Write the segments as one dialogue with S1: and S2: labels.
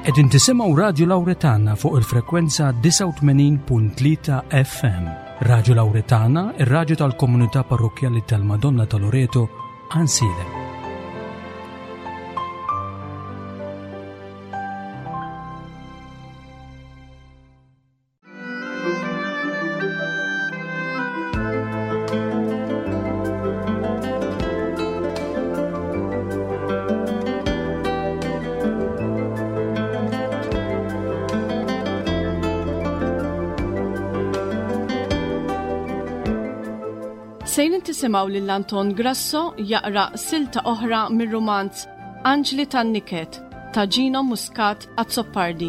S1: Qegħdin tisimgħu Radju Lawretana fuq il-frekwenza 89.3 FM. Radju Lawretana, ir-radju tal-komunità parrokkjali tal-Madonna ta' Loreto, Ansilem.
S2: Sejrin tisimgħu lil Anton Grasso jaqra silta oħra mir-rumanz Anġli tan-Niket ta' Gino Muscat Azzopardi.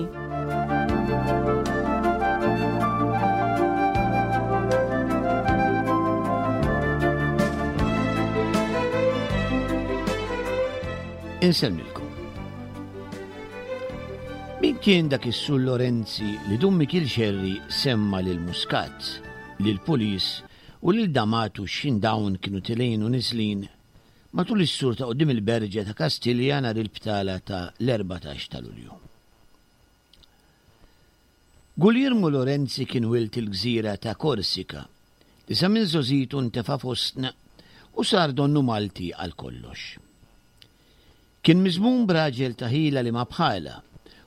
S3: Insellmilkom. Min kien dak is-Sur Lorenzi li Dun Mikiel Xerri semma lil Muscat, lil Pulis u lil Damatu x'ħin dawn kienu tilgħin u niżlin matul is-sur ta' quddiem il-Berġa ta' Kastilja nhar il-btala ta' l-14 ta' Lulju. Guglielmo Lorenzi kien wild il-gżira ta' Korsika, li sa minn żgħożitu ntefa' fostna u sar donnu Malti għal kollox. Kien miżmum b'raġel ta' ħila li ma bħalha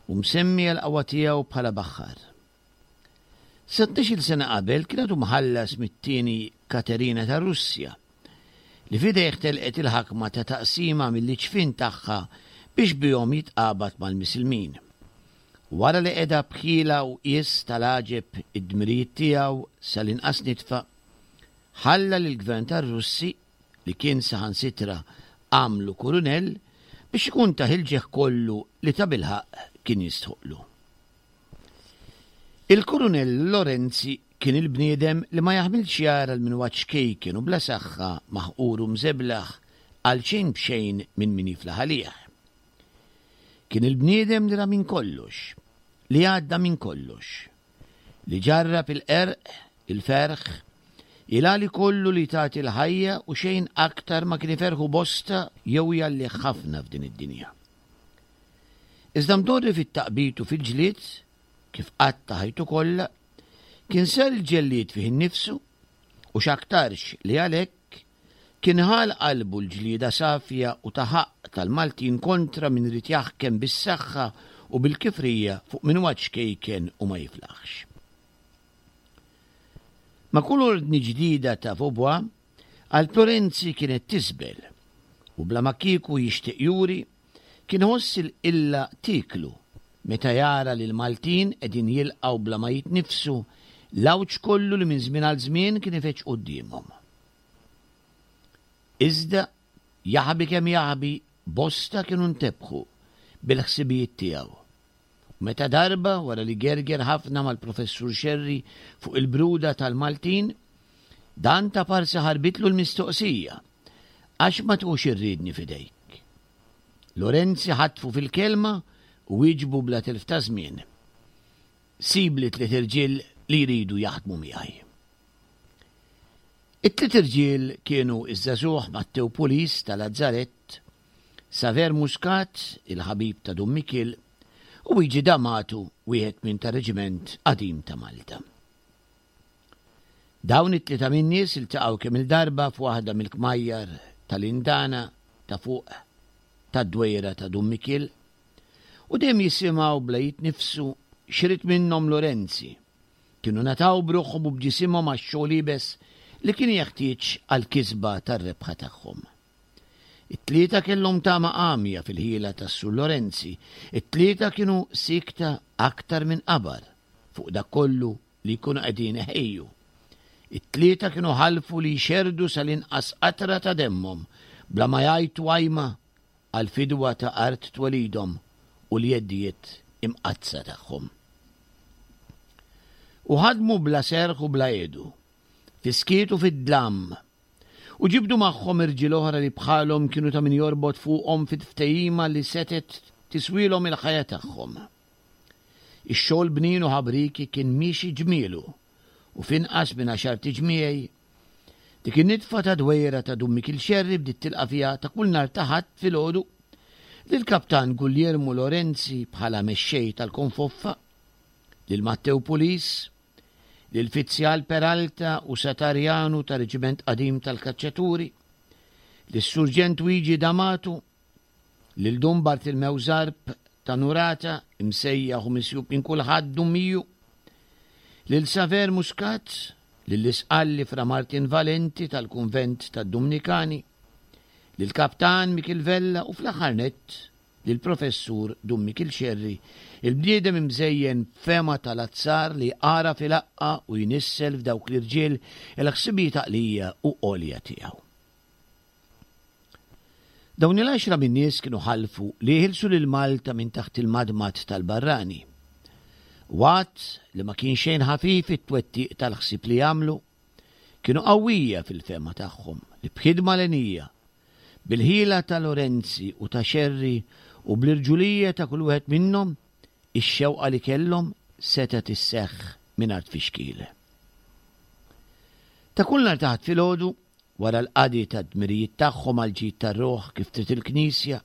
S3: u msemmi għall-qawwa tiegħu bħala baħħar. Sa tnax-il sena qabel kien għadu mħallas mit-tieni Katerina tar-Russja, li f'idejh telqet il-ħakma ta' taqsima mill-iġfien tagħha biex bihom jitqabad mal-Misilmin. Wara li qeda b'ħila u qies tal-għaġeb id-dmirijiet tiegħu sal-inqas nitfa, ħalla lill-gvern tar-Russi, li kien saħansitra għamlu kurunell, biex ikun tah il-ġieħ kollu li tabilħaqq kien jistħoqqlu. Il-Kurunell Lorenzi kien il-bniedem li ma jaħmilx jara 'l min huwa ċkejken u bla saħħa maħqur u mżeblaħ għal xejn b'xejn minn min jiflaħ għalih. Kien il-bniedem li ra minn kollox, li għadda minn kollox, li ġarrab il-qerq, il-ferħ, il-għali kollu li tagħti l-ħajja u xejn aktar ma kien iferrħu bosta jew jgħallih ħafna f'din id-dinja. Iżda mdorri fit-taqbid u fil-ġlied, kif qatta' ħajtu kollha, kien sar il-ġellied fih innifsu u x'aktarx li għalhekk kien ħa għal qalbu l-ġlieda safja u ta' ħaqq tal-Maltin kontra min ried jaħkem bis-saħħa u bil-kifrija fuq min huwa ċkejken u ma jiflaħx. Ma' kull ordni ġdida ta' Vaubois, għal Plorenzi kienet tisbel u bla ma kieku jixtieq juri, Kien iħoss il-qilla tieklu meta jara li l-Maltin qegħdin jilqgħu bla ma jitniffsu l-għawġ kollu li minn żmien għal żmien kien ifeġġ quddiemhom. Iżda, jaħbi kemm jaħbi, bosta kienu ntebħu bil-ħsibijiet tiegħu. U meta darba, wara li gerger ħafna mal-Professur Scerri fuq il-bruda tal-Maltin, dan ta' parsi ħarbitlu l-mistoqsija, Għax ma tqux ir-riedni f'idejk? Lorenzi ħatfu fil-kelma u wieġbu bla telf ta' żmien, Sibli tliet irġiel li jridu jaħdmu miegħi. It-tliet irġiel kienu ż-żagħżugħ Mattew Pulis ta' Lazzarett, Saver Muscat, il-ħabib ta' Dun Mikiel, u Wiġi D'Amato, wieħed minn tar-Reġiment Qadim ta' Malta. Dawn it-tlieta min-nies iltaqgħu kemm-il darba f'waħda mill-kmajjar tal-indana ta' fuq tad-dwejra ta' Dun Mikiel u dejjem jisimgħu bla jitniffsu x'ried minnhom Lorenzi. Kienu ngħataw b'ruħhom u b'ġisimhom għax-xogħol iebes li kien jeħtieġ għall-kisba tar-rebħa tagħhom. It-tlieta kellhom tama għamja fil-ħila tas-Sur Lorenzi, it-tlieta kienu siekta aktar minn qabar fuq dak kollu li jkunu qegħdin iħejju. It-tlieta kienu ħalfu li jxerrdu sal-inqas qatra ta' demmhom bla ma jgħajtu għajma għall-fidwa ta' art twelidhom u l-jeddijiet imqaddsa tagħhom. U ħadmu bla serħ u bla għedu, fis-skiet u fid-dlam, u ġibdu magħhom irġiel oħra li bħalhom kienu ta' min jorbot fuqhom fit-ftehima li setgħet tiswielhom il-ħajja tagħhom. Ix-xogħol bnin u ħabrieki kien miexi ġmielu u f'inqas minn għaxart iġmiegħi, dik in-nitfa ta' dwejra ta' Dun Mikiel Xerri bdiet tilqa' fiha ta' kull nhar ta' Ħadd filgħodu. Lill-Kaptan Guglielmo Lorenzi bħala mexxej tal-Konfoffa, lil Mattew Pulis, lil Fizzjal Peralta u Satarjanu tar-Reġiment Qadim tal-Kaċċaturi, lis-Surġent Wiġi D'Amato, lil Dun Bartilmew Zarb ta' Nurata, imsejjaħ u misjub minn kulħadd Dun Miju, lil Saver Muscat, lill-Isqalli Fra Martin Valenti tal-Kunvent tad-Dumnikani, lill-Kaptan Mikiel Vella u fl-aħħar nett lill-Professur Dun Mikiel Scerri, il-bniedem imżejjen b'fehma tal-azzar li għaraf ilaqqa' u jnissel f'dawk l-irġiel il-ħsibijiet għaqlija u għolja tiegħu. Dawn il-għaxra min-nies kienu ħalfu li jeħilsu lil Malta minn taħt il-madmad tal-barrani. Waqt li ma kien xejn ħafif it-twettiq tal-ħsieb li għamlu, kienu qawwija fil-fehma tagħhom li b'ħidma lenija, bil-ħila ta' Lorenzi u ta' Scerri u bl-irġulija ta' kull wieħed minnhom, ix-xewqa li kellhom setgħet isseħħ mingħajr tfixkil. Ta' kull nhar ta' Ħadd filgħodu, wara l-qadi tad-dmirijiet tagħhom għall-ġid tar-ruħ kif trid il-Knisja,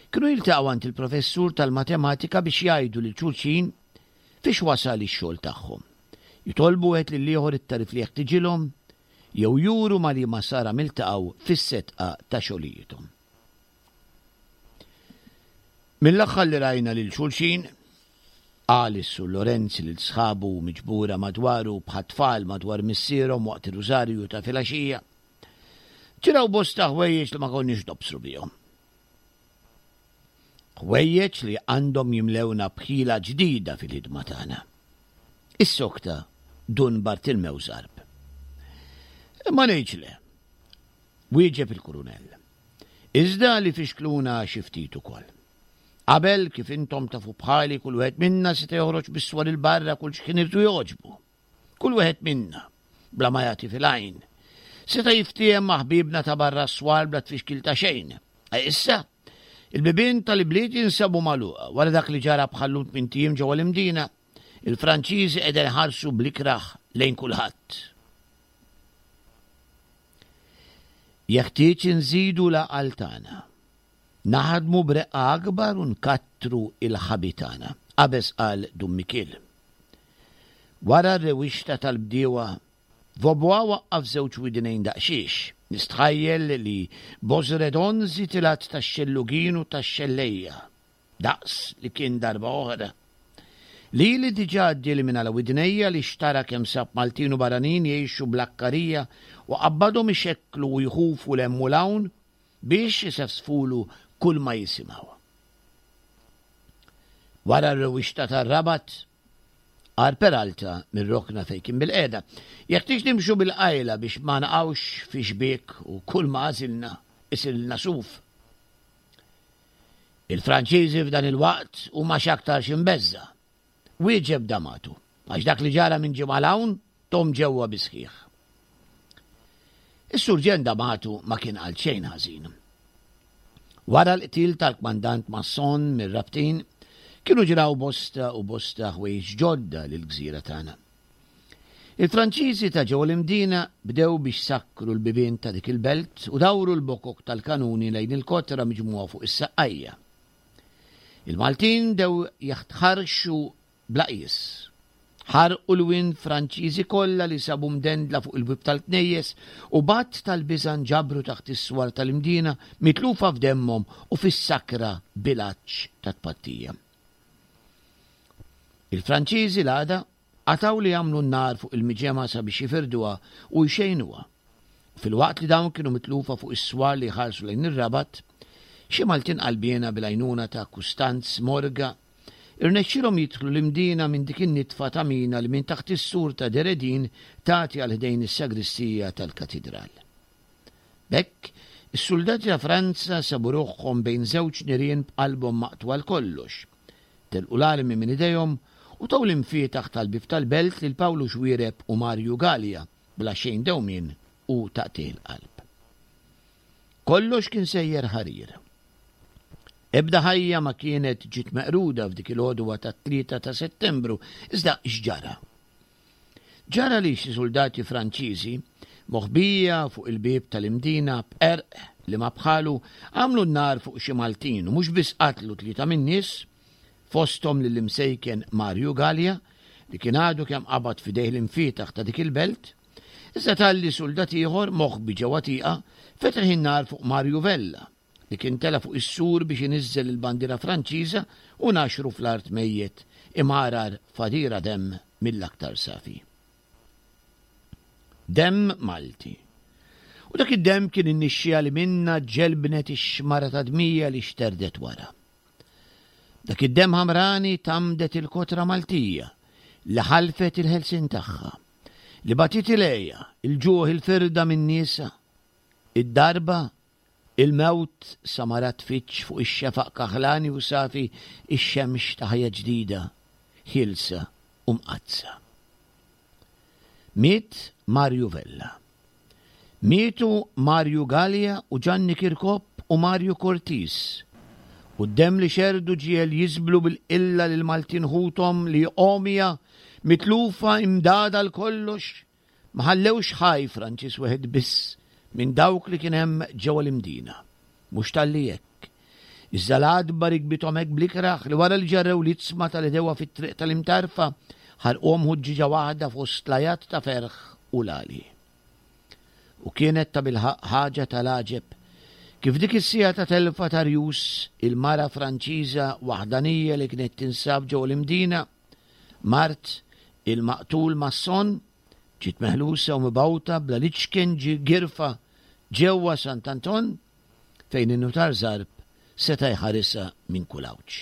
S3: kienu jiltaqgħu għand il-professur tal-matematika biex jgħidu lil xulxin fiex wasal ix-xogħol tagħhom, jitolbu wieħed lill-ieħor it-tagħrif li jeħtiġilhom jew juru ma' liema saram iltaqgħu fis-setqa ta' xogħlijiethom. Mill-aħħar li rajna lil xulxin, qal is-Sur Lorenzi lil sħabu miġbura madwaru bħat-tfal madwar missierhom waqt ir-rużarju ta' filgħaxija, ġraw bosta ħwejjeġ li ma konniex nobsru bihom. Ħwejjeġ li għandhom jimlewna b'ħila ġdida fil-ħidma tagħna. Issokta Dun Bartilmew Zarb. Ma ngħidx le, wieġeb il-Kurunell. Iżda li fixkluna xi ftit ukoll. Qabel, kif intom tafu bħali, kull wieħed minna seta' joħroġ bis-swar 'il barra kull x'kien irtu jogħġbu. Kull wieħed minna, bla ma jagħti fil-għajn, seta' jiftiehem ma' ħbiebna ta' barra s-swar bla tfixkil ta' xejn. E issa, il-bibien tal-ibliet jinsabu magħluqa wara dak li ġara bħal-lum tmint ijiem ġewwa l-Imdina. Il-Franċiżi qegħdin iħarsu bl-ikrah lejn kulħadd. Jeħtieġ inżidu l-għaqal tagħna. Naħdmu b'reqqa akbar u nkattru l-ħabi tagħna, qabeż qal Dun Mikiel. Wara r-rewwixta tal-bdiewa, Vaubois waqqaf żewġ widnejn daqsxiex. Nistħajjel li Bosredon żied il-għadd tax-xellugin u tax-xellejja. Daqs li kien darba oħra. Lili diġà għaddieli minn għala widnejja li xtara kemm sab Maltin u barranin jgħixu bl-akkarija u qabbadhom ixekklu u jħufu 'l hemm u 'l hawn biex isefsfulu kull ma jisimgħu. Wara r-rewwixta tar-Rabat, qal Peralta mir-rokna fejn kien bilqiegħda, jeħtieġ nimxu bil-qajla biex ma naqgħux fi xbiek u kull ma għażilna isirilna suf. Il-Franċiżi f'dan il-waqt huma x'aktarx imbeżża', wieġeb D'Amato, għax dak li ġara minn ġimgħa 'l hawn thom ġewwa bis-sħiħ. Is-Surġent D'Amato ma kien qal xejn ħażin. Wara l-qtil tal-Kmandant Masson mir-Rabtin, kienu ġraw bosta u bosta ħwejjeġ ġodda lill-gżira tagħna. Il-Franċiżi ta' ġewwa l-Imdina bdew biex sakkru l-bibien ta' dik il-belt u dawru l-bokok tal-kanuni lejn il-kotra miġmugħa fuq is-Saqqajja. Il-Maltin bdew jaħtħarrxu bla qies. Ħarqu l-wien Franċiżi kollha li sabu mdendla fuq il-bieb tal-knejjes u b'att tal-biża' nġabru taħt is-swar tal-Imdina mitlufa f'demmhom u fis-sakra bil-għatx tat-tpattija. Il-Franċiżi l-għada Qatgħu li jagħmlu n-nar fuq il-miġemgħa sabiex jifirduha u jxejnuha. U filwaqt li dawn kienu mitlufa fuq is-swar li jħarsu lejn ir-Rabat, xi Maltin qalbiena bil-għajnuna ta' Kustanz Morga irnexxielhom jidħlu l-Imdina minn dik in-nitfa ta' mina li minn taħt is-sur ta' Deredin tagħti għal ħdejn is-sagristija tal-Katidral. B'hekk, is-suldati ta' Franza sabu ruħhom bejn żewġ nirien b'qalbhom maqtugħa għal kollox. Telqu l-armi minn idejhom u taw l-imfietaħ tal-bieb tal-belt lil Pawlu Xuereb u Marju Galea bla xejn dewmien u taqtigħ il-qalb. Kollox kien sejjer ħarir. Ebda ħajja ma kienet ġiet meqruda f'dik il-għodwa tat-3 ta' Settembru, iżda x'ġara? Ġara li xi suldati Franċiżi, moħbija fuq il-bieb tal-Imdina b'qerq, li ma bħalu għamlu n-nar fuq xi Maltin u mhux biss qatlu tlieta min-nies, fosthom lill-imsejken Marju Galea li kien għadu kemm qabad f'idejh l-imfietaħ ta' dik il-belt, iżda talli suldat ieħor moħbi ġewwa tieqa fetaħ in-nar fuq Marju Vella li kien tela' fuq is-sur biex iniżżel il-bandiera Franċiża u naxru fl-art mejjet imgħargħar f'għadira demm mill-aktar safi. Demm Malti. U dak id-demm kien in-nixxiegħa li minnha ġelbnet ix-xmara ta' dmija li xterdet wara. Dak id-demm ħamrani tgħammdet il-kotra Maltija li ħalfet il-ħelsien tagħha, li batiet il-għeja, il-ġuħ, il-firda minn niesha, id-darba, il-mewt sa ma rat tfiġġ fuq ix-xefaq kaħlani u safi x-xemx ta' ħajja ġdida, ħielsa u mqaddsa. Miet Mario Vella. Mietu Mario Galea u Ġanni Kirkop u Mario Cortis. U d-demm li xerrdu ġiegħel jiżblu bil-qilla lill-Maltin ħuthom li għomja, mitlufa, imdagħda għal kollox, ma ħallewx ħaj Franċiż wieħed biss minn dawk li kien hemm ġewwa l-Imdina. Mhux talli hekk, iżda l-għadba rikbithom hekk bl-ikrah li wara li ġarrew l-iġsma tal-għedewwa fit-triq tal-Imtarfa, ħarquhom ħuġġieġa waħda fost l-għajat ta' ferħ u l-għali. U kienet tabilħaqq ħaġa tal-għaġeb kif dik is-siegħa ta' telfa ta' rjus il-mara Franċiża waħdanija li kienet tinsab ġewwa l-Imdina, mart il-maqtul Masson, ġiet meħlusa u mibgħuta bla l-iċken girfa ġewwa Sant'Anton fejn in-Nutar Zarb seta' jħarisha minn kull għawġ.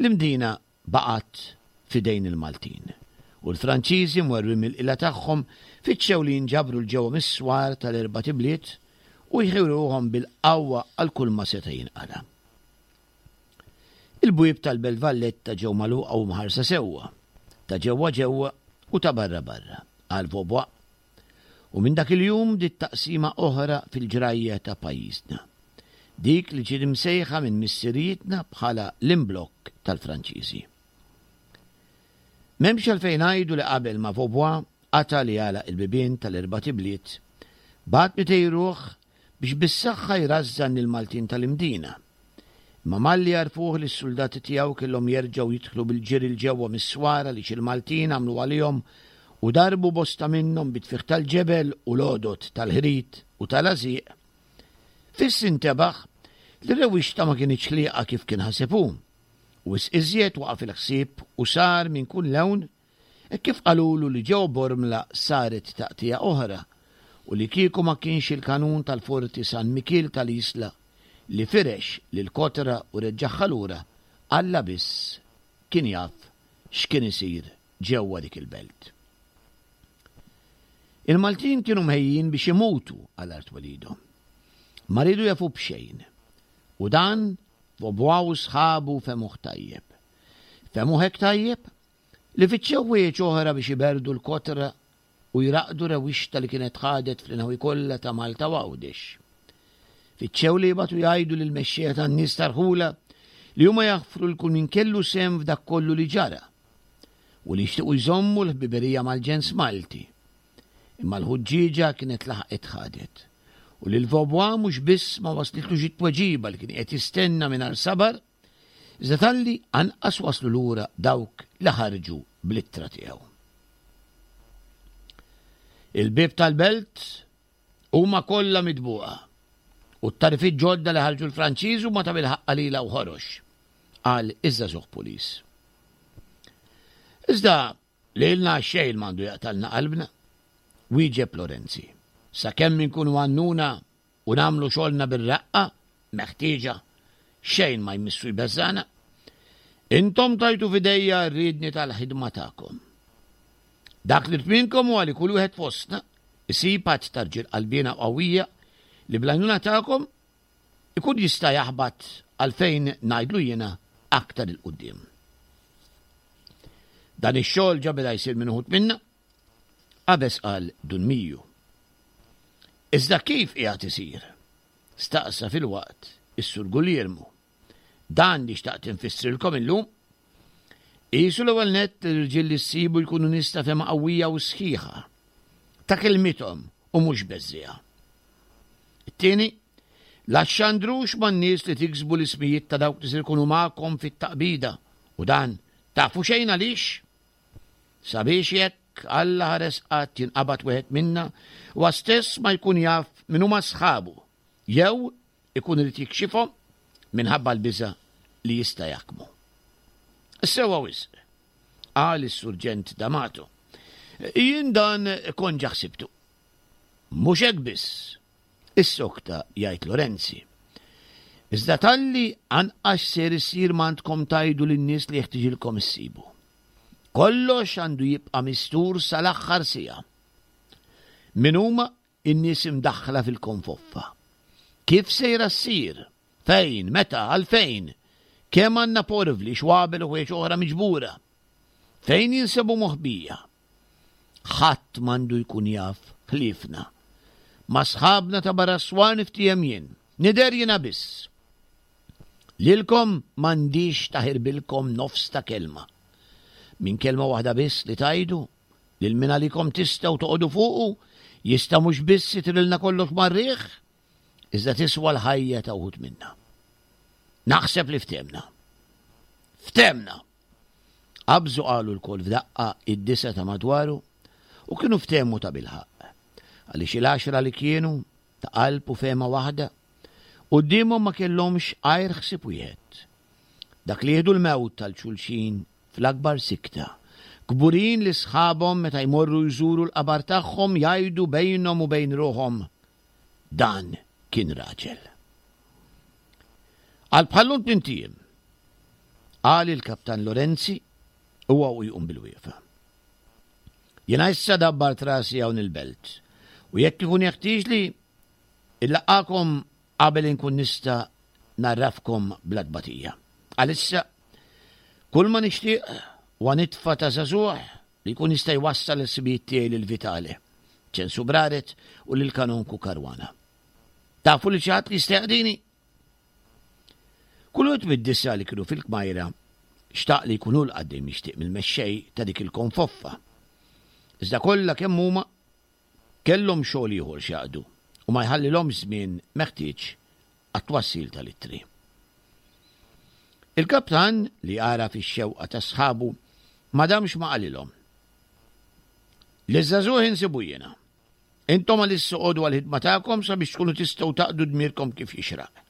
S3: L-Imdina baqgħet f'idejn il-Maltin, u l-Franċiżi mwerwrin mill-qilla tagħhom fittxew li jinġabru 'l ġewwa mis-swar tal-erbat ibliet u jħejju ruħhom bil-qawwa għal kulma seta' jinqala'. Il-bwieb tal-Belt Valletta ġew magħluqa u mħarsa sewwa, ta' ġewwa ġewwa u ta' barra barra, qal Vaubois. U minn dak il-jum bdiet taqsima oħra fil-ġrajja ta' pajjiżna. Dik li ġiet imsejħa minn missirijietna bħala l-imblokk tal-Franċiżi. M'hemmx għalfejn ngħidu li qabel ma Vaubois qata' li għalaq il-bibien tal-erbat ibliet, bagħat 200 ruħ biex bis-saħħa jrażżan lill-Maltin tal-Imdina. Imma malli għarfuh li s-suldati tiegħu kellhom jerġgħu jidħlu bil-ġiri 'l ġewwa mis-swar għaliex il-Maltin għamlu għalihom u darbu bosta minnhom bit-tfigħ tal-ġebel u l-għodod tal-ħrit u tal-għażieq, fiss intebaħ li r-rewwixta ma kinitx ħlieqa kif kien ħaseb hu. Wisq iżjed waqa' fil-ħsieb u sar minn kull lewn Hekk kif qalulu li ġewwa Bormla saret taqtigħa oħra u li kieku ma kienx il-kanun tal-Forti San Mikiel tal-Isla li firex lill-kotra u reġġagħha lura, Alla biss kien jaf x'kien isir ġewwa dik il-belt. Il-Maltin kienu mhejjin biex imutu għal art twelidhom. Ma riedu jafu b'xejn. U dan Vaubois u sħabu fehmuh tajjeb. Fehmuh hekk tajjeb li fittxew ħwejjeġ oħra biex iberrdu l-kotra u jraqqdu rewwixta li kienet ħadet fl-inħawi kollha ta' Malta u Għawdex. Fittxew li jibgħatu jgħidu lill-mexxejja tan-nies ta' rħula li huma jaħfru 'l kull min kellu sehem f'dak kollu li ġara u li jixtiequ jżommu l-ħbiberija mal-ġens Malti. Imma l-ħuġġieġa kienet laħqet ħadet u lil Vaubois mhux biss ma waslitlux it-tweġiba li kien qiegħed jistenna mingħajr sabar, Iżda talli anqas waslu lura dawk li ħarġu bl-ittra tiegħu. Il-bieb tal-belt huma kollha mitbuqa u t-tarifiet ġodda li ħarġu l-Franċiż huma ta' bilħaqq qalila u ħorox, qal iż-żagħżugħ pulis. Iżda lilna xejn m'għandu jaqtalna qalbna, wieġeb Lorenzi. Sakemm inkunu għannuna u nagħmlu xogħolna bir-reqqa meħtieġa, xejn ma jmissu jbeżżagħna. Intom tajtu f'idejja r-riedni tal-ħidma tagħkom. Dak li rrid minnkom huwa li kull wieħed fostna isib għadd ta' rġiel qalbiena u qawwija li bl-għajnuna tagħkom ikun jista' jaħbat għal fejn ngħidlu jiena aktar 'il quddiem. Dan ix-xogħol ġa beda jsir minn uħud minna, Qabeż qal Dun Miju. Iżda kif qiegħed isir? staqsa filwaqt is-Sur Guglielmu. Dan li xtaqt infissrilkom illum. Qisu l-ewwel nett li l-irġiel li ssibu jkunu nies ta' fehma qawwija u sħiħa, ta' kelmithom u mhux beżżiegħa. It-tieni, la xxandrux man-nies li tiksbu l-ismijiet ta' dawk li ser ikunu magħkom fit-taqbida, u dan tafu xejn għaliex? Sabiex jekk Alla ħares qatt jinqabad wieħed minna, huwa stess ma jkun jaf min huma sħabu, jew ikun irid jikxifhom minħabba l-biża' li jista' jaħkmu. Sewwa wisq, qal is-Surġent D'Amato. Jien dan kont ġa ħsibtu. Mhux hekk biss, issokta jgħid Lorenzi. Iżda talli anqas ser isir m'għandkom tgħidu lin-nies li jeħtiġilkom issibu. Kollox għandu jibqa' mistur sal-aħħar siegħa. Min huma n-nies imdaħħla fil-konfoffa? Kif sejra ssir? Fejn? Meta? Għalfejn? Kemm għandna porvli, xwabel u ħwejjeġ oħra miġbura? Fejn jinsabu moħbija? Ħadd m'għandu jkun jaf ħliefna. Ma' sħabna ta' barra s-swar niftiehem jien. Nidher jiena biss. Lilkom m'għandix taħirbilkom nofs ta' kelma. Minn kelma waħda biss li tgħidu, lil min għalikom tistgħu toqogħdu fuqu, jista' mhux biss itirilna kollox mar-riħ, iżda tiswa l-ħajja ta' wħud minna. Naħseb li ftehmna. Ftehmna! Qabżu qalu lkoll f'daqqa id-disgħa ta' madwaru u kienu ftehmu tabilħaqq, għaliex il-għaxra li kienu, ta' qalb u fehma waħda, quddiemhom ma kellhomx għajr ħsieb wieħed, dak li jieħdu l-mewt għal xulxin fl-akbar sikta, kburin li sħabhom meta jmorru jżuru l-qabar tagħhom jgħidu bejnhom u bejn ruħhom, Dan kien raġel. Għal bħallum tmint ijiem, qal il-Kaptan Lorenzi huwa u jqum bil-wieqfa. Jiena issa dabbart rasi hawn il-belt u jekk ikun jeħtieġli illaqgħakom qabel inkun nista' ngħarrafkom bla tbatija. Għalissa, kull ma nixtieq huwa nitfa' ta' żagħżugħ li jkun jista' jwassal il-ħsibijiet tiegħi lil Vitale, Ċensu Braret u lil Kanonku Caruana. Tafu lil xi ħadd li jista' jaqdini? Kull wieħed mid-disgħa li kienu fil-kmajra xtaq li jkun hu l-qaddej mixtieq mill-mexxej ta' dik il-konfoffa. Iżda kollha kemm huma kellhom xogħol ieħor x'jaqdu u ma jħallilhomx żmien meħtieġ għat-twassil tal-ittri. Il-kaptan, li għaraf ix-xewqa ta' sħabu, ma damx ma qalilhom. Liż-żagħżugħ insibu jiena. Intom għalissa oqogħdu għall-ħidma tagħkom sabiex tkunu tistgħu taqdu dmirkom kif jixraq.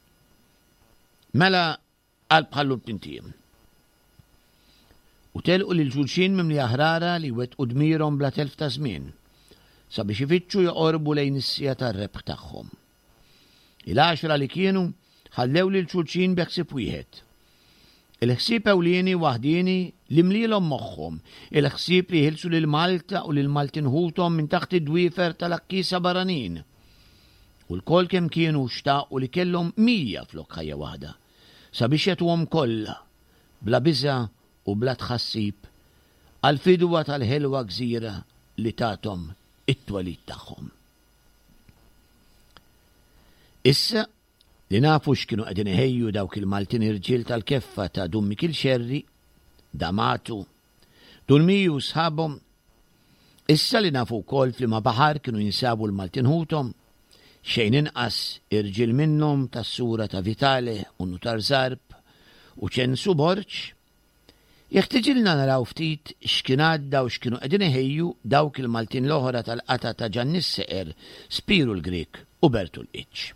S3: Mela qalb ħallu t-tintiem. U telqu lil xulxin mimlija ħrara li jwettqu dmirhom bla telf ta' żmien, sabiex ifittxu joqorbu lejn is-siegħa tar-rebħ tagħhom. Il-għaxra li kienu ħallew lil xulxin bi ħsieb wieħed. Il-ħsieb ewlieni waħdieni li mlielhom moħħhom, il-ħsieb li jħilsu lil Malta u lil Maltin ħuthom minn taħt id-dwiefer tal-għakkiesa barranin. U lkoll kemm kienu xtaqu li kellhom 100 flok ħajja waħda, sabiex jagħtuhom kollha, bla biża' u bla tħassib, għall-fidwa tal-ħelwa gżira li tathom it-twelid tagħhom. Issa li nafu x'kienu qegħdin iħejju dawk il-Maltin irġiel tal-keffa ta' Dun Mikiel Xerri, Damatu, Dun Miju u sħabhom, issa li nafu wkoll f'liema baħar kienu jinsabu l-Maltin ħuthom, xejn inqas irġiel minnhom tas-sura ta' Vitale u Nutar Zarb u Ċensu Borg, Jeħtiġilna naraw ftit x'kien għadda u x'kienu qegħdin iħejju dawk il-Maltin l-oħra tal-qatgħa ta' Ġanni s-Seqer, Spiru l-Grieg u Bertu l-Qiċċ.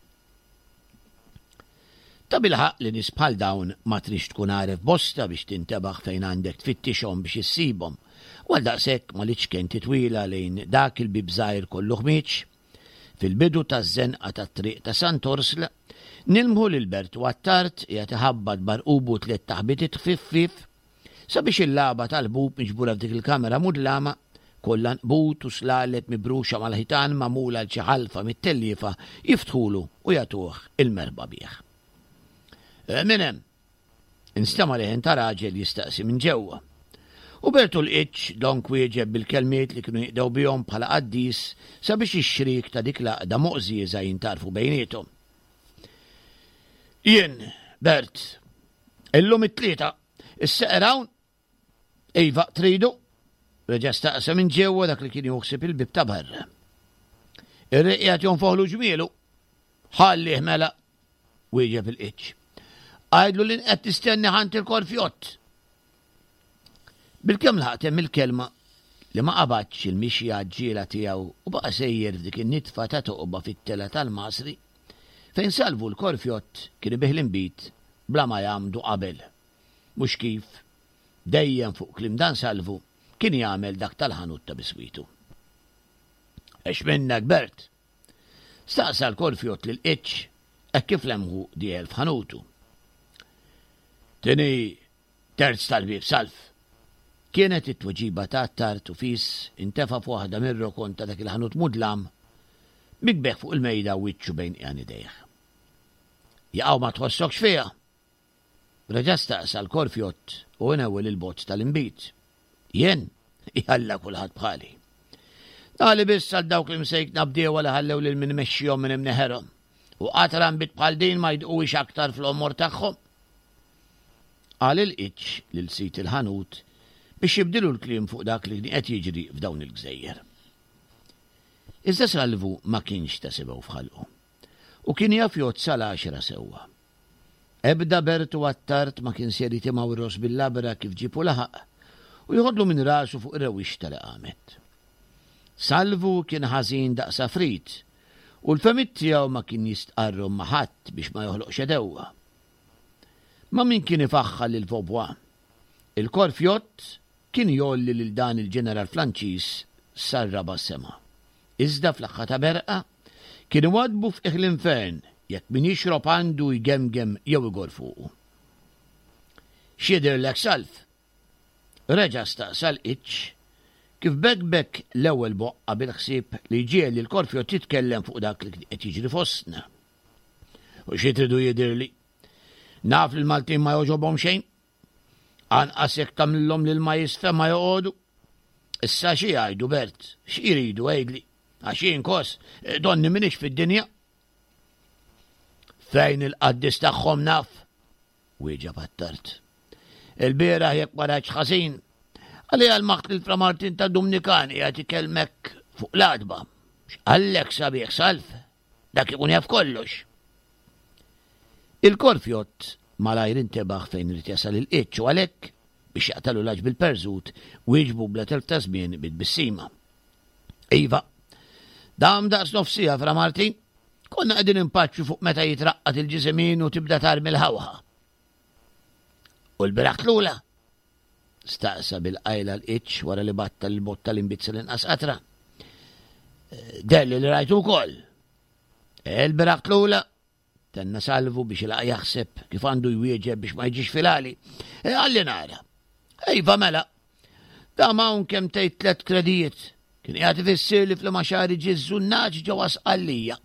S3: Tabilħaqq li nies bħal dawn ma tridx tkun għaref bosta biex tintebaħ fejn għandek tfittixhom biex issibhom, u għaldaqshekk ma l-iċken titwila lejn dak il-bieb żgħir kollu ħmieġ, Fil-bidu taż-żenqa tat-triq ta' Sant'Orsla, nilmħu lil Bertu Attard qiegħed iħabbat b'għarqubu tliet taħbitiet ħfief ħfief sabiex il-lagħba tal-ħbub miġbura f'dik il-kamera mudlama, kollha nqbut u slaleb mibruxa mal-ħitan magħmul għal xi ħalfa mit-telliefa jiftħulu u jagħtuh il-merħba bih. Min hemm? Instema' leħen ta' raġel jistaqsi minn ġewwa. U Bertu l-Qiċċ dlonk wieġeb bil-kelmiet li kienu jinqdew bihom bħala qaddis sabiex ix-xriek ta' dik l-għaqda moqżieża jintgħarfu bejniethom. Jien, Bert, illum it-Tlieta, is-seqer hawn? Iva, tridu? Reġa' staqsa minn ġewwa dak li kien jieħu ħsieb il-bieb ta' barra. Ir-riq qiegħed jonfoħlu ġmielu. Ħallih mela, wieġeb il-qiċ. Għidlu li qed tistenni ħant il-korfjott. Bilkemm laħaq temm il-kelma li ma qabadx il-mixja għaġġiela tiegħu u baqa' sejjer f'dik in-nitfa ta' toqba fit-telgħa tal-Masri fejn Salvu l-Korfjott kien ibigħ l-inbid bla ma jgħammdu qabel. Mhux kif, dejjem fuq kliem dan Salvu, kien jagħmel dak tal-ħanut ta' biswitu. Għex minnek, Bert! Staqsa l-Korfjott lil Itch hekk kif lemħu dieħel f'ħanutu. Tini terz tal-bieb salf. Kienet it-tweġiba ta' Attard u fis intefa' f'waħda mir-rokon ta' dak il-ħanut mudlam, mikbeħ fuq il-mejda u wiċċu bejn qiegħan idejh. Jaqaw ma tħossokx fiha! Reġa' staqsa l-Korfjott u inewwel il-bott tal-inbid. Jien? Jalla kulħadd bħali. Nagħli biss għal dawk l-imsejkna bdiewa li ħallew lil min imexxihom minn imneħerhom u qatra nbid bħal din ma jdquhiex aktar fl-għomor tagħhom. Qal il-Qiċ lil sid il-ħanut biex jibdilu l-kliem fuq dak li kien qed jiġri f'dawn il-gżejjer. Iżda Salvu ma kienx ta' sebgħu f'ħalqu u kien jaf jgħodd sal-għaxra sewwa. Ebda Bertu Attard ma kien ser jitimgħu r-ross bil-labra kif ġieb u laħaq, u joħodlu minn rasu fuq ir-rewwixta li qamet. Salvu kien ħażin daqs għafrit, u l-fehmiet tiegħu ma kien jistqarrhom ma' ħadd biex ma joħloqx għedewwa. Ma' min kien ifaħħar lil Vaubois? Il-Korfjott kien jgħolli lil dan il-ġeneral Franċiż sar-raba' sema. Iżda fl-aħħar ta' berqa, kien iwaddbu f'qiegħ l-infern jekk min jixrob għandu jgemgem jew igorr fuqu. X'jidhirlek Salv? Reġa' staqsa l-Qiċ, kif bekbek l-ewwel boqqa bil-ħsieb li jġiegħel lil Korfjott jitkellem fuq dak li kien qed jiġri fostna. U xi tridu jidhirli? Naf li l-Maltin ma jogħġobhom xejn. Anqas jekk tagħmlilhom l-ilma jisfe ma joqogħdu. Issa xi jgħidu Bert? Xi jridu għidli? Għax jien kos, donni m'iniex fid-dinja. Fejn il-qaddis tagħhom naf? Wieġeb Attard. Il-bieraħ jekk ma rajtx ħażin, għalija l-maħt lil Fra Martin ta' Dumnikan qiegħed ikellmek fuq l-għatba. X'qallek sabiħ Salv? Dak ikun jaf kollox. Il-Korfjott malajr intebaħ fejn irid jasal il-qiċ u għalhekk, biex jaqtalu l-għaġ bil-perżut, wieġbu bla telf ta' żmien bi tbissima. Iva, dam daqs nofs siegħa Fra Martin, konna qegħdin impaċċu fuq meta jitraqqad il-ġiżimin u tibda tarmi l-ħawħa. U l-biraħ tlula? Staqsa bil-qajla l-qiċ wara li batta l-botta l-imbizza l-inqas qatra. Delli li rajtu wkoll. Il-biraħ tlula? Tenna Salvu biex ilaq jaħseb kif għandu jwieġeb biex ma jiġix filali. E, għalli nara. Iva mela. Da hawn kemm tgħid tlet kredijiet. Kien qiegħed ifissir li fl-maxari ġie żunnaġ ġewwa Sqallija.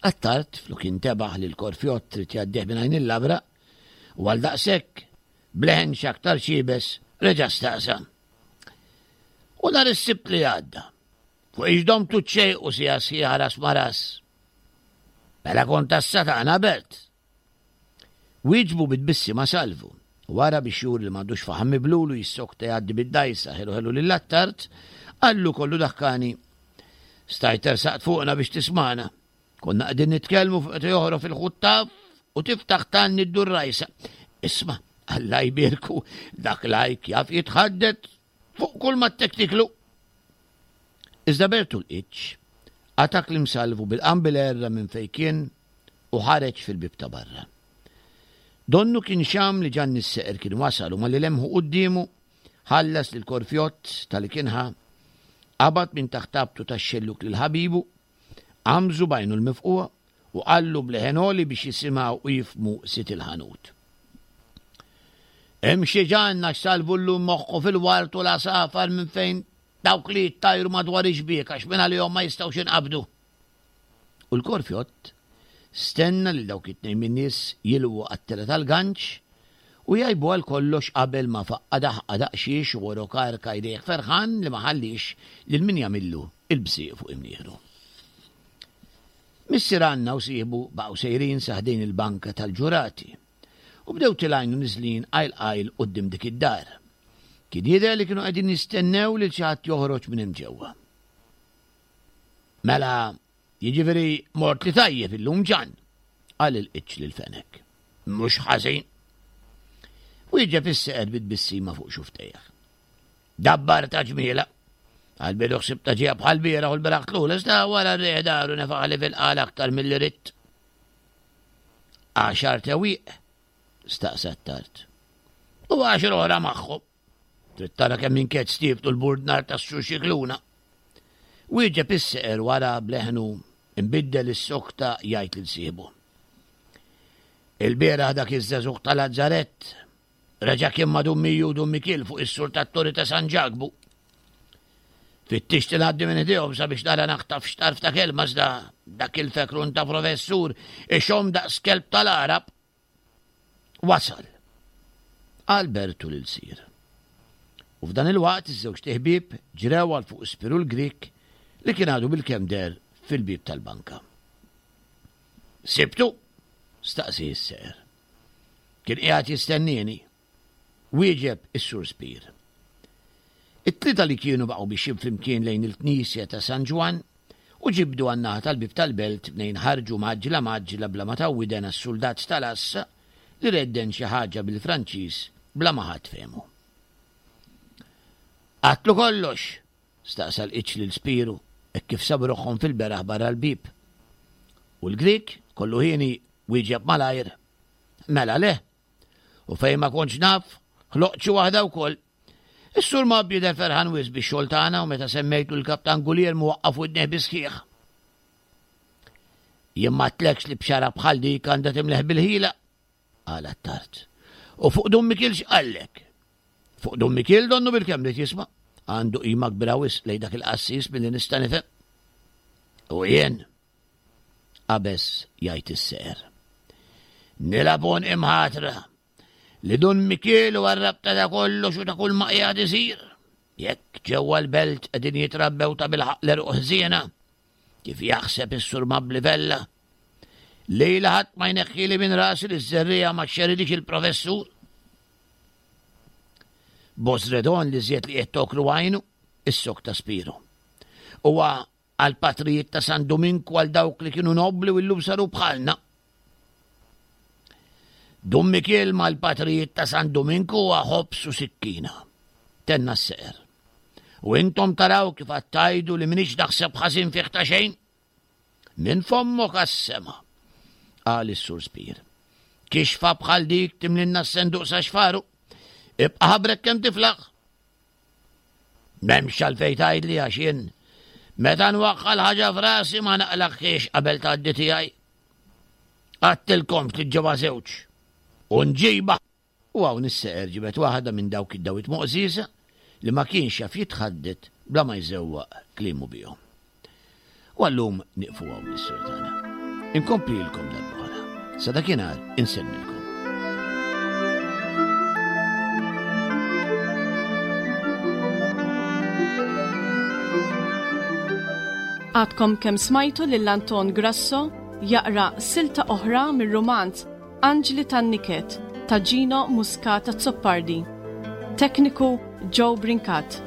S3: Attard flok intebaħ li l-korfjott trid jgħaddih minn għajn il-labra u għal daqshekk bleħen x'aktar xibes reġa' staqsa. U nhar is-Sibt li għadda, fuq ix domtu ċejqu sija sħiħa ras ma' ras. Mela kont tas-satana, Bert! Wieġbu bi tbissima Salvu. Wara biex juri li m'għandux faħam miblul u jissokta jgħaddi bid-dgħajsa ħelu ħelu lil Attard, qallu kollu daħkani, Stajt tersaqt fuqna biex tismagħna. Konna qegħdin nitkellmu fuq meta joħrob il-ħuttaf u tiftaħ tanni ddur rajsa. Isma', Alla jbierku, dak lajk jaf jitħaddet fuq kull ma tektiklu. Iżda Bertu l-Qiċ qata' kliem Salvu bil-qambil erra minn fejn kien u ħareġ fil-bieb ta' barra. Donnu kien xam li Ġanni s-Seqer kien wasal u malli lemħu quddiemu, ħallas lil Korfjott ta' li kien ħa, qabad minn taħt abtu tax-xellug lil ħabibu, għamżu b'għajnu l-mifqugħa u qallu b'leħen għoli biex jisimgħu u jifhmu sid il-ħanut. Imxi Ġann għax Salvu llum moħħu fil-ward u l-għasafar minn fejn dawk li jittajru madwar ix-xbiek għax minn għalihom ma jistgħux jinqabdu. U l-Korfjott stenna lil dawk it-tnejn min-nies jilwu għat-tela tal-ganċ u jgħibu għal kollox qabel ma faqqa' daħqa daqsxiex u għorok arka jdejh ferħan li ma ħalliex lil min jagħmillu il-bżieq fuq imnieħru. Missier Anna u sieħbu baqgħu sejrin sa ħdejn il-banka tal-ġurati u bdew tilgħin u niżlin qajl qajl quddiem dik id-dar. Kien jidher li kienu qegħdin jistennew lil xi ħadd joħroġ minn hemm ġewwa. Mela, Jiġifieri mort li tajjeb illum Ġann, qal il-qiċċ lil Fenek. Mhux ħażin. Wieġeb is-seqer bi tbissima fuq xuftejh. Dabbar ta' ġmiela. Għal-bidu ħsib ta' ġija bħal bieraħ u l-beraħ tlul, iżda wara r-riħ daru nefaħli fil-qal aktar milli ridt. Għaxar tewwieq? staqsa t-tard. U għaxar oħra magħhom. Trid tara kemm inked stiftu l-burdnar tas-Sur Xikluna. Wieġeb is-seqer wara bleħnu imbiddel is-sokta jgħid lil sieħbu. Il-bieraħ dak iż-żagħżugħ tal-Azzarett reġa' kien ma' Dun Miju u Dun Mikiel fuq is-sur tat-Torri ta' San Ġakbu. Fittixt ngħaddi minn ħdejhom sabiex nara naħtaf x'tarf ta' kelma iżda dak il-fekrun ta' professur ixomm daqs kelb tal-Għarab. Wasal. Qal Bertu lil Sir. U f'dan il-waqt iż-żewġt iħbieb ġrew għal fuq Spiru l-Grieg li kien għadu bilkemm deher fil-bieb tal-banka. Sibtu? staqsi s-seqer. Kien qiegħed jistennieni. Wieġeb is-Sur Spir. It-tlieta li kienu baqgħu mixjin flimkien lejn il-knisja ta' San Ġwann u ġibdu għan-naħa tal-bieb tal-belt mnejn ħarġu mgħaġġla mgħaġġla bla ma taw widen għas-suldat tal-għassa li redden xi ħaġa bil-Franċiż bla ma ħadd fehmu. Għadtlu kollox? staqsa l-Qiċ lil Spiru hekk kif sabu ruħhom fil-beraħ barra l-bieb. U l-Grieg, kollu hieni, wieġeb malajr, Mela le! U fejn ma kontx naf, ħloqt xi waħda wkoll. Is-Sur Mobb jidher ferħan wisq bix-xogħol tagħna u meta semmejtlu l-Kaptan Guglielmu waqqaf widnejh bis-sħiħ. Jien m'għedtlekx li bxara bħal dik għandha timleħ bil-ħila, qal Attard. U fuq Dun Mikiel x'qallek? Fuq Dun Mikiel donnu bilkemm ried jisma'. Għandu qima kbira wisq lejn dak il-qassis milli nista' nifhem. U jien? Qabeż jgħid is-seher. Nilgħab għonqi mħatra li Dun Mikiel huwa r-rabta ta' kollox u ta' kull ma qiegħed isir. Jekk ġewwa l-belt qegħdin jitrabbew ta' bilħaqq l-għeruq ħżiena, kif jaħseb is-Sur Mabli Vella, lejla ħadd ma jneħħili minn rasi li ż-żerriegħa ma xeridix il-professur. Bosredon li żjed li qed toklu għajnu, is-sok ta' Spiru. Huwa għall-patrijiet ta' San Duminku għal dawk li kienu nobbli u llum saru bħalna. Dun Mikiel mal-patrijiet ta' San Duminku huwa ħobż u sikkina. Tenna s-seqer. U intom taraw kif għad tgħidu li m'iniex naħseb ħażin fih ta' xejn? Minn fommok għas-sema, qal is-Sur Spir. Kixfa bħal dik timlinna s-senduq sa xfaru. Ibqa' ħabrek kemm tiflaħ. M'hemmx għalfejn tgħidli għax jien meta nwaħħal ħaġa f'rasi ma naqlagħhiex qabel tgħaddi tiegħi. Għadtilkomx li ġewwa żewġ u nġibha. U hawn is-seqer ġibed waħda minn dawk id-dawwiet moqżieża li ma kienx jaf jitħaddet bla ma jżewwaq kliemu bihom. U għallum nieqfu hawn l-istorja tagħna. Inkomplilkom darb'oħra. Sa dakinhar insellmilkom.
S2: Għadkom kemm smajtu lil Anton Grasso jaqra silta oħra mir-rumanz Anġli tan-Niket ta' Gino Muscat Azzopardi. Tekniku Joe Brincat.